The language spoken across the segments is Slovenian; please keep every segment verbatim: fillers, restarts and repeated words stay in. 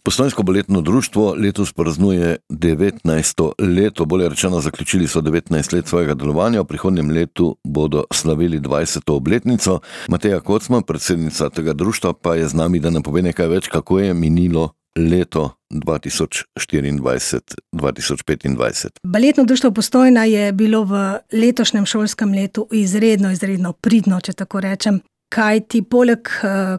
Postojnsko baletno društvo letos praznuje devetnajsto leto, bolje rečeno, zaključili so devetnajst let svojega delovanja, v prihodnjem letu bodo slavili dvajseto obletnico. Mateja Kocman, predsednica tega društva, pa je z nami, da nam pove nekaj več, kako je minilo leto dva tisoč štiriindvajset dva tisoč petindvajset. Baletno društvo Postojna je bilo v letošnjem šolskem letu izredno, izredno pridno, če tako rečem. Kaj ti poleg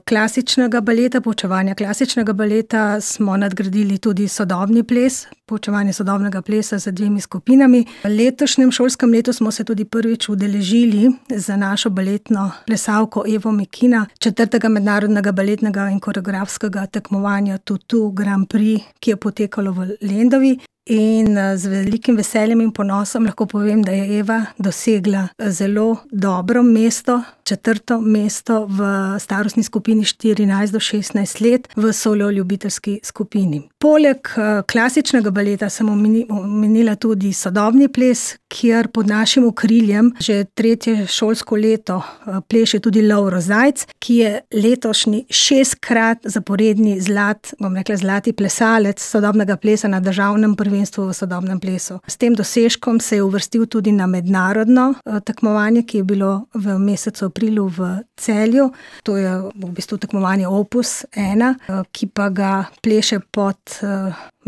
klasičnega baleta, poučevanja klasičnega baleta, smo nadgradili tudi sodobni ples, poučevanje sodobnega plesa z dvemi skupinami. V letošnjem šolskem letu smo se tudi prvič udeležili za našo baletno plesalko Evo Mekina četrtega mednarodnega baletnega in koreografskega tekmovanja Tutu Grand Prix, ki je potekalo v Lendavi. In z velikim veseljem in ponosom lahko povem, da je Eva dosegla zelo dobro mesto, četrto mesto v starostni skupini štirinajst do šestnajst let v solo ljubiteljski skupini. Poleg klasičnega baleta sem omenila tudi sodobni ples, kjer pod našim okriljem že tretje šolsko leto pleše tudi Lovro Zajc, ki je letošnji šestkrat zaporedni zlat, bom rekla zlati plesalec sodobnega plesa na državnem prvenstvu v sodobnem plesu. S tem dosežkom se je uvrstil tudi na mednarodno tekmovanje, ki je bilo v mesecu aprilu v Celju. To je v bistvu tekmovanje Opus ena, ki pa ga pleše pod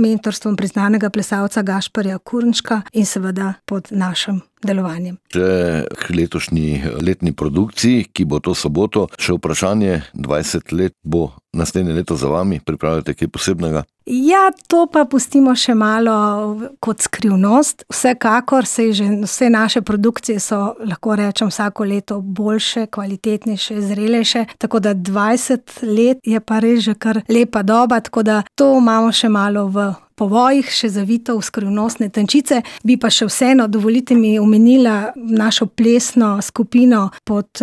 mentorstvom priznanega plesalca Gašperja Kurnška in seveda pod našim delovanjem. Že k letošnji letni produkciji, ki bo to soboto, še vprašanje, dvajset let bo naslednje leto za vami, pripravljate kaj posebnega? Ja, to pa pustimo še malo kot skrivnost. Vsekakor se že vse naše produkcije so, lahko rečem, vsako leto boljše, kvalitetnejše, zrelejše, tako da dvajset let je pa res že kar lepa doba, tako da to imamo še malo v povojih, še zavito v skrivnostne tančice. Bi pa še vseeno, dovolite mi, omenila našo plesno skupino pod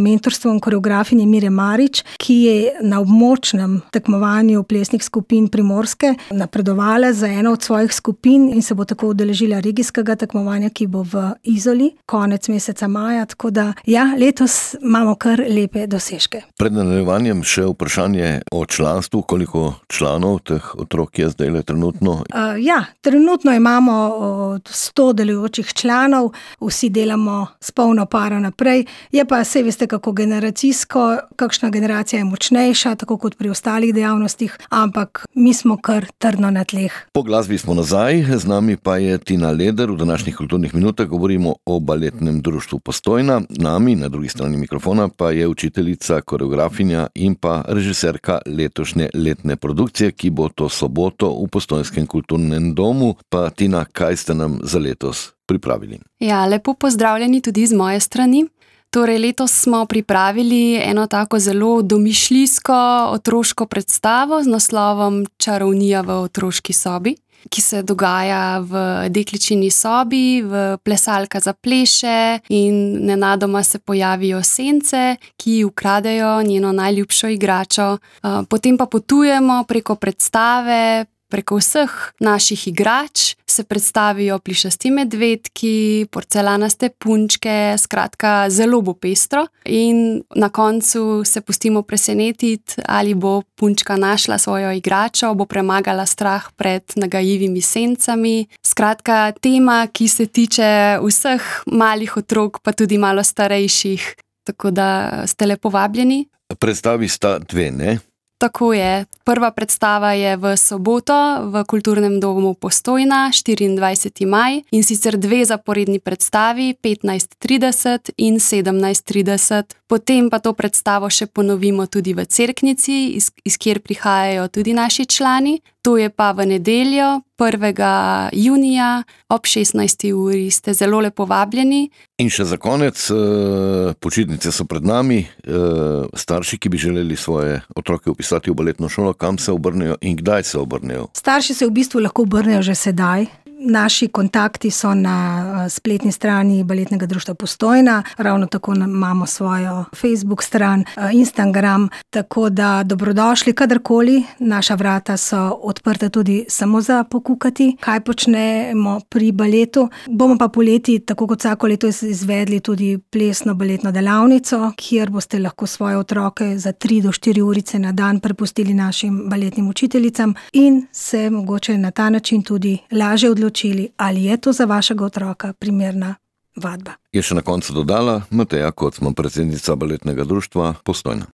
mentorstvom koreografinje Mire Marič, ki je na območnem tekmovanju plesnih skupin Primorske napredovala za eno od svojih skupin in se bo tako udeležila regijskega tekmovanja, ki bo v Izoli konec meseca maja, tako da ja, letos imamo kar lepe dosežke. Pred nadaljevanjem še vprašanje o članstvu, koliko članov teh otrok je zdaj le trenutno? Uh, ja, trenutno imamo sto delujočih članov, vsi delamo s polno paro naprej. Je pa, saj veste, kako generacijsko, kakšna generacija je močnejša, tako kot pri ostalih dejavnostih, ampak mi smo kar trdno na tleh. Po glasbi smo nazaj, z nami pa je Tina Leder. V današnjih kulturnih minutah govorimo o baletnem društvu Postojna. Nami, na drugi strani mikrofona, pa je učiteljica, koreografinja in pa režiserka letošnje letne produkcije, ki bo to soboto v Postojnskem kulturnem domu. Pa Tina, kaj ste nam za letos pripravili? Ja, lepo pozdravljeni tudi z moje strani. Torej, letos smo pripravili eno tako zelo domišljijsko otroško predstavo z naslovom Čarovnija v otroški sobi, ki se dogaja v dekličini sobi, v plesalka zapleše in nenadoma se pojavijo sence, ki ukradejo njeno najljubšo igračo. Potem pa potujemo preko predstave, preko vseh naših igrač, se predstavijo plišasti medvedki, porcelanaste punčke, skratka zelo bo pestro in na koncu se pustimo presenetiti, ali bo punčka našla svojo igračo, bo premagala strah pred nagajivimi sencami. Skratka, tema, ki se tiče vseh malih otrok, pa tudi malo starejših, tako da ste lepo vabljeni. Predstavi sta dve, ne? Tako je. Prva predstava je v soboto v Kulturnem domu Postojna, štiriindvajseti maj, in sicer dve zaporedni predstavi, petnajst trideset in sedemnajst trideset. Potem pa to predstavo še ponovimo tudi v Cerknici, iz, iz kjer prihajajo tudi naši člani. To je pa v nedeljo, prvega junija, ob šestnajsti uri. Ste zelo lepo vabljeni. In še za konec, počitnice so pred nami, starši, ki bi želeli svoje otroke vpisati v baletno šolo, kam se obrnejo in kdaj se obrnejo? Starši se v bistvu lahko obrnejo že sedaj. naši kontakti so na spletni strani Baletnega društva Postojna, ravno tako imamo svojo Facebook stran, Instagram, tako da dobrodošli kadarkoli, naša vrata so odprta tudi samo za pokukati, kaj počnemo pri baletu. Bomo pa poleti, tako kot vsako leto, izvedli tudi plesno baletno delavnico, kjer boste lahko svoje otroke za tri do štiri urice na dan prepustili našim baletnim učiteljicam in se mogoče na ta način tudi lažje odločili, ali je to za vašega otroka primerna vadba. Je še na koncu dodala Mateja Kocman, predsednica Baletnega društva Postojna.